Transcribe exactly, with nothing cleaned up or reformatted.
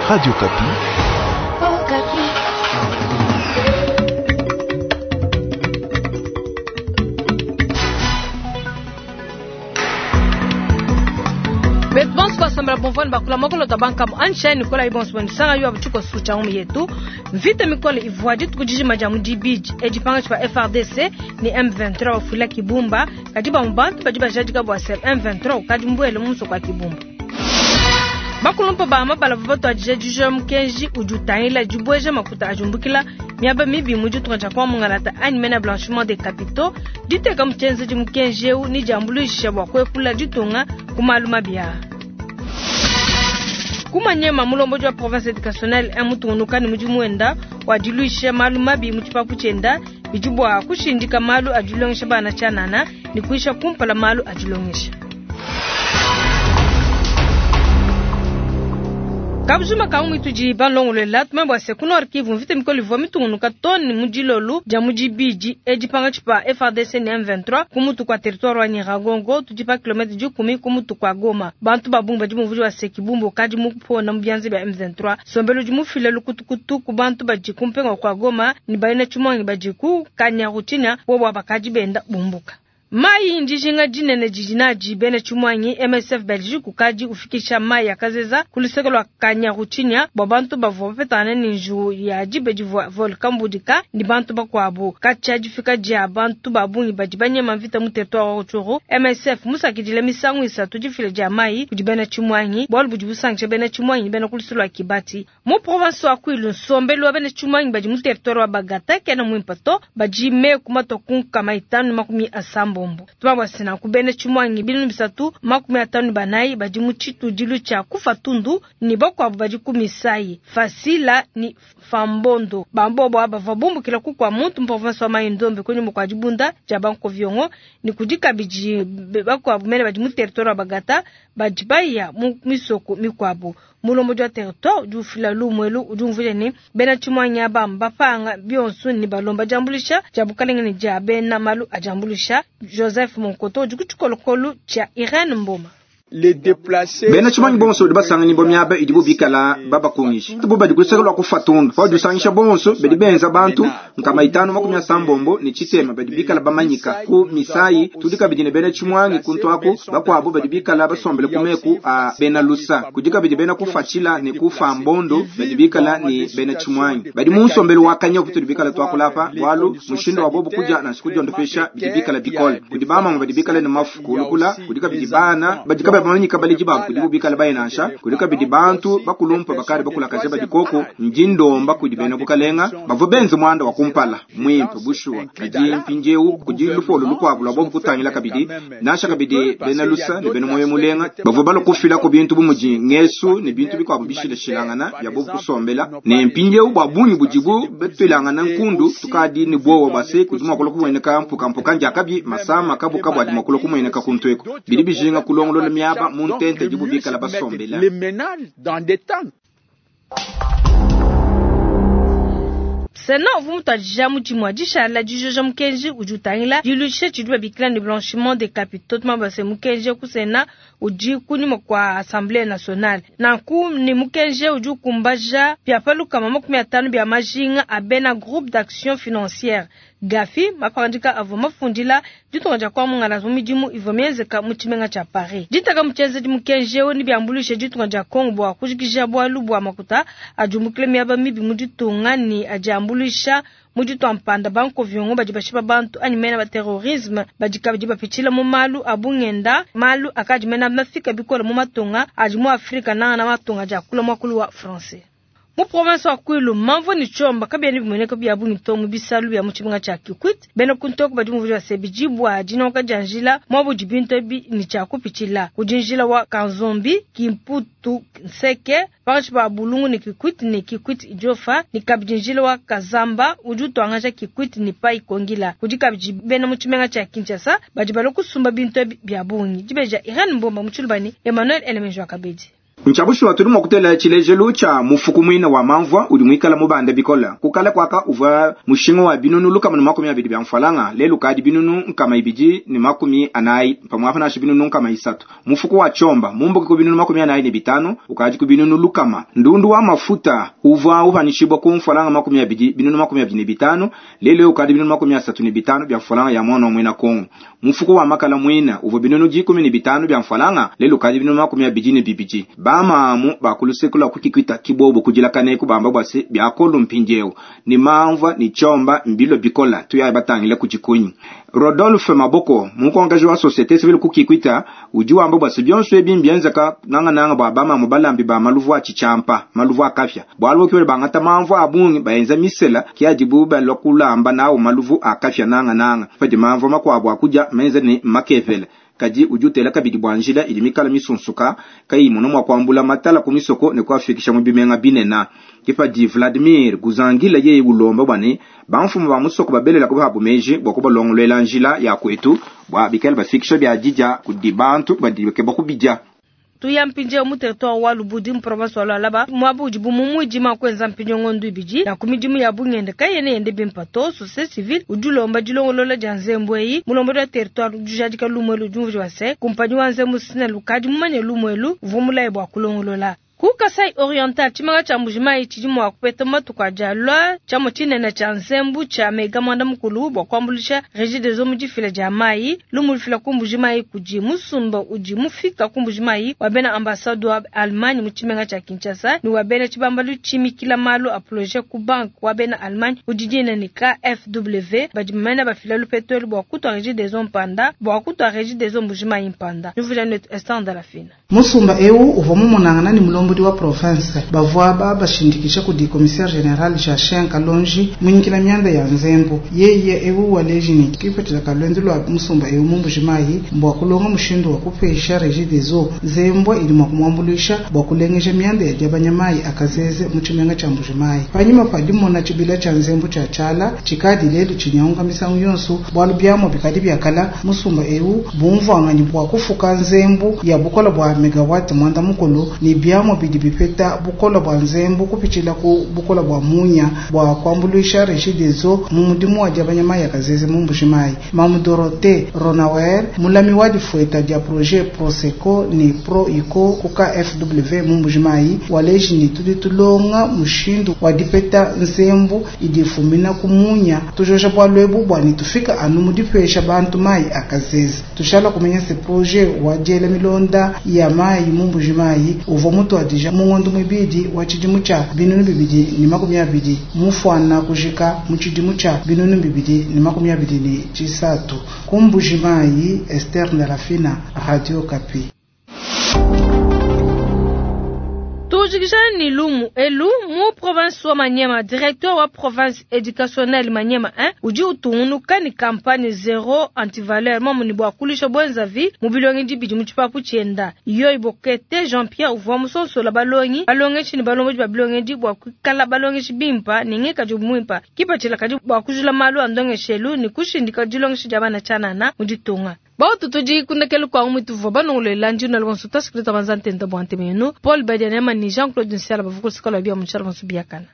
Radio Okapi. Okapi. Betu bonso basambela bomvani bakula mokolo tabankamu anshai nikola ibonso bonisanga yo abutuko sucha mu yetu mvita mikole ivua dituku dijima dia mu dibidi edipanga tshipa F R D C ni M vingt-trois bafula Kibumba kadi ba mu bantu badi bajadika bua se M vingt-trois ukadi mbuele mu musoko wa Kibumba. Bakulumpa ba mabala batu adija dija mukenji udi utangila dibweja makuta ajumbukila miaba mibi mu ditunga dia kwa mungalata anyi mena blanchiment des capitaux diteka muchenze di mukenji eu ni diambuluisha bua kuepula ditunga ku malu mabi aa. Kumanyema mulombo wa province éducationnelle emutungunuka ni mudimu wenda wa diluisha malu mabi mu tshipapu tshienda bidi bua kushindika malu adilongesha bana tshianana ni kuisha kumpala malu adilongesha. Kabujuma kaungu tudi balongolola tumwe se kuno arkivu mvite mikolo ivua mitungunuka toni mu dilolu dia mu dibidi edipanga tshipa F R D C ni M vingt-trois ku mutu kwa territoire wa Nyiragongo tudi pa kilomètre dikumi ku mutu kwa Goma. Bantu ba bungi badi muvudi wa se Kibumba kadi mu pona mu bianze bia M vingt-trois. Sombelo di mufile lukutukutu ku bantu badi kumpenga kwa Goma ni bayina tshimongi badi ku Kanyaruchinya bo bakadi benda bumbuka. Mai ndijinga dinene didinaji bene chumwanyi M S F Belgique kukadi ufikisha mai ya kazeza kuluseko lwa Kanyaruchinya bwa bantu bavua bapetana ni nju ya dibe divua volcan budika ni bantu bakuabu kacha difika dia bantu babungi badi banyema mvita mu territoire wa Rutshuru. M S F musakidile misangu isatu difile dia mai kudi bene chumwanyi bwalu budi busangisha bene chumwanyi bene kuluseko lwa Kibati mu province wa Kwilu nsombelu wa bene chumwanyi badi mu territoire wa Bagata kena mwimpato badi me kumatoku kama itanu makumi asambo. Tumabwa sina kubene chumwangi binu bisatu makumi atanu banayi badi mu tshitudilu tshia kufa tundu ni bakuabu badi ku misai fasila ni fambondo bambobo aba babumbukila ku kwa muntu mu province wa Mai-Ndombe kwenye mukwa dibunda dia bankoviongo ni kudi kabidi bakuabu mene badi mu territoire wa Bagata badi baya mu misoko mikuabu mulombo dia territoire udi ufila lumwelu udi umvuja ni bena chumwangi aba mbapanga bionso ni balomba diambulisha dia bukalenge ni dia bena malu adiambulisha. Joseph Monkoto udi ku tshikolokolo tshia Irene Mboma. Les déplacés Bena tshimanyi bonso badi basangani bo miaba idi bubikala babakungisha. Tubu badi kuseka lwa kufatundu. Badi usangisha bonso badi benza bantu nkama itanu makumi asambombo ni chitema badi bikala bamanyika ku misai tudi kabidi ne bena tshimwangi kuntwaku bakwabo badi bikala basombele kumeku a bena lusa. Kudi kabidi bena kufatshila ne kufa mbondo badi bikala ni bena tshimwangi. Badi mu nsombelu wa kanya kutudi bikala twakulapa walu mushindo wa bobo kuja na siku jondo pesha bidi bikala bikole. Kudi bamama badi bikala ne mafu kulukula kudi kabidi bana badi kabidi bamanyika baliji babu kudi bubikala bayinasha kudi kabidi bantu bakulumpa bakari bakulakaje badikoko njindomba kudi bena bukalenga bavua benze mwanda wa kumpala mwimpe bushuwa kadi mpindieu kudi lupolo lukuabu lwa bobu kutangila kabidi nasha kabidi bena lusa ne bena moyo mulenga bavua balokufila ku bintu bumudi ngesu ne bintu bikuabu bishilashilangana bya bobu kusombela ne mpindieu bwa bungi budibu betwilangana nkundu tukadi ni bwowa bwase kudi mwakolo kumweneka mpukampuka njakabi masama kabukabu adi mwakolo kumweneka kuntweko bidi bijinga kulongolola miaba muntente dibubikala basombela. Les ménages dans des tentes. Sena uvu mutuadija mudimu wa dishala dijoja mukenji udi utangila diluisha tshidi babikila ne blanchiment des capitaux tumabase mukenji ku Sena udi kunyima kwa Assemblée nationale. Nanku ni mukenji udi ukumbaja bia palukama makumi atanu bia majinga a bena groupe d'action financière Gafi mapandika avua mafundila ditunga dia kwa mungala mu midimu ivua mienzeka mu tshimenga tshia Paris. Ditaka muchenze di mukenji eu ni biambuluisha ditunga dia Congo bua kujikija bwalu bua makuta ajumbukile miaba mibi mu ditunga ni adiambuluisha mu ditua mpanda bankoviongo badi bashipa bantu anyi mena ba terrorisme badi kabidi bapitshila mu malu a bungenda malu akadi mena mafika bikole mu matunga adi mu Afrika nanga na matunga dia kula mwakulu wa français. Mu province wa Kwilu mamvo ni chomba kabia ni bimoneka bya bungi to mu bisalu bya mu tshimenga tshia Kikwit bena kuntoko badi mu vya sebijibwa dinoka janjila mwabu dibinto bi ni tshia kupitshila kudinjila wa Kanzombi Kimputu Nseke pakati pa Bulungu ni Kikwit ni Kikwit Idiofa ni kabidinjila wa Kazamba udi utwangaja Kikwit ni Pai Kongila kudi kabidi bena mu tshimenga tshia Kinshasa badi balokusumba binto bya bungi dibeja Irene Mbomba mu Tshilubani Emmanuel Elemenjo Kabedi. Nchabushuwa tuli mwa kutela tshilejelu tsha mufuku mwina wa mamvua udi mwikala mubanda bikola kukala kwaka uvua mushinga wa binunu lukama ne makumi abidi bya mfalanga lelu kadi binunu nkama ibidi ne makumi anayi pamwapa nasho binunu nkama isatu mufuku wa chomba mumbuka ku binunu makumi anayi ne bitano ukadi ku binunu lukama ndundu wa mafuta uvua upanishibwa ku mfalanga makumi abidi binunu makumi abidi ne bitano lelu ukadi binunu makumi asatu ne bitano bya mfalanga ya mwana mwina Kongo mufuku wa makala mwina uvua binunu dikumi ne bitano bya mfalanga lelu kadi binunu makumi abidi ne bibidi bamamu bakulusekula kukikwita kibobo kujilakane kubamba bwase byakolu mpinjewo ni mamva ni chomba mbilo bikola tuya batangile kuchikunyi Rodolphe Maboko mukongaji wa société civile kukikwita udi wamba bwase byonso ebi mbienzeka nanga nanga bwa bamamu balambi ba maluvu a chichampa maluvu akafya bwalo kiwe bangata mamva abungi baenza misela kiajibu balokulamba nawo maluvu akafya nanga nanga padi mamva makwabo akuja menza ni makevele kadi ujutela kabidi bwanjila ili mikala misunsuka kai muno mwa kwambula matala kumisoko ne kwafikisha mu bimenga binena kipadi Vladimir Guzangila yeye ulomba bwane bamfumu ba musoko babelela kuba meji bwa kubalongolwela njila ya kwetu bwa bikala bafikisha bya jija kudi bantu badibeke bakubija tuya mpinje mu territoire wa Lubudi mu province wa Lualaba mwabu udi bu mumuidima kwenza mpinje ngondu ibidi na kumidimu ya bungende kayene yende bimpato société civile udi ulomba dilongolola dia nzembu eyi mulombodi wa territoire udi ujadika lumwelu udi umvuija wase kumpanyi wa nzembu SNEL ukadi mumanye lumwelu uvua mulaye bua kulongolola ku Kasai Oriental tshimanga tshia Mbujimayi tshidi mua kupeta matuku adi alua tshiamu tshinene tshia nzembu tshia mega mwanda mukulu bua kuambuluisha Regideso mu difila dia mayi lumu lufila ku Mbujimayi kudi musumba udi mufika ku Mbujimayi wa bena ambassade wa Allemagne mu tshimenga tshia Kinshasa ni wa bena tshibambalu tshimikila malu a projet ku banque wa bena Allemagne udi dina ni K F W badi bamana bafila lupetolu bua kutua Regideso mpanda bua kutua Regideso Mbujimayi mpanda nuvula netu instant de la fina musumba eu uvua mumonangana ni mulombodi wa province bavua babashindikisha kudi commissaire général Jachin Kalonji munyikila mianda ya nzembu yeye eu waleji ni kipetela kalwendu lwa musumba eu mu Mbujimayi mbwa kulonga mushindu wa kupesha Regideso nzembu ili mwa kumwambulisha bwa kulengesha mianda ya diabanyamayi akazeze mu tshimenga tsha Mbujimayi panyima padimona tshibila tsha nzembu tsha tshala tshikadi lelu tshinyaunga misangu yonso bwalu byamo bikadi byakala musumba eu bumvwanganyi bwa kufuka nzembu ya bukola bwa megawatt mwanda mukulu ni byamo bidi bipeta bukola bwa nzembu kupitshila ku bukola bwa munya bwa kuambuluisha Regideso mu mudimu wa diabanyamayi akazeze mu Mbujimayi Mamu Dorothée Ronawer mulami wa difueta dia projet Proseco ni Pro Ico ku K F W mu Mbujimayi waleji ni tudi tulonga mushindu wa dipeta nzembu idi fumina ku munya tujoja bwa lwebu bwa ni tufika anu mu dipesha bantu mayi akazeze tushala kumenya se projet wa diela milonda ya mayi mu Mbujimayi uvua mutuadija mu ngondo mwibidi wa tshidimu tsha binunu bibidi ni makumi abidi mufwana kujika mu tshidimu tsha binunu bibidi ni makumi abidi ni tshisatu ku Mbujimayi. Esther Ndalafina, Radio Kapi. Tujikishana ni lumu elu mu province wa Maniema, directeur wa province éducationnelle Maniema un udi utungunuka ni campagne zéro antivaleur mamu bwa kulisha bwenzavi mu bilongi dibidi mu tshipapu tshienda yoyi bokete Jean-Pierre uvua musonsola balongi balongeshi ni balongoji ba bilongi bwa kuikala balongeshi bimpa ni ngekaji mwimpa kipatshila kadi bwa kujula malu a ndongeshelu ni kushindika dilongeshi dia bana tshianana mu ditunga. Bautu tudi kundekelu kwa umu tuvua banongolela njina lwonso tasikilita banza ntenda bwa ntemenu Paul Badianema ni Jean-Claude Nsiala bavukusikala bia mu tshiala bonso biakana.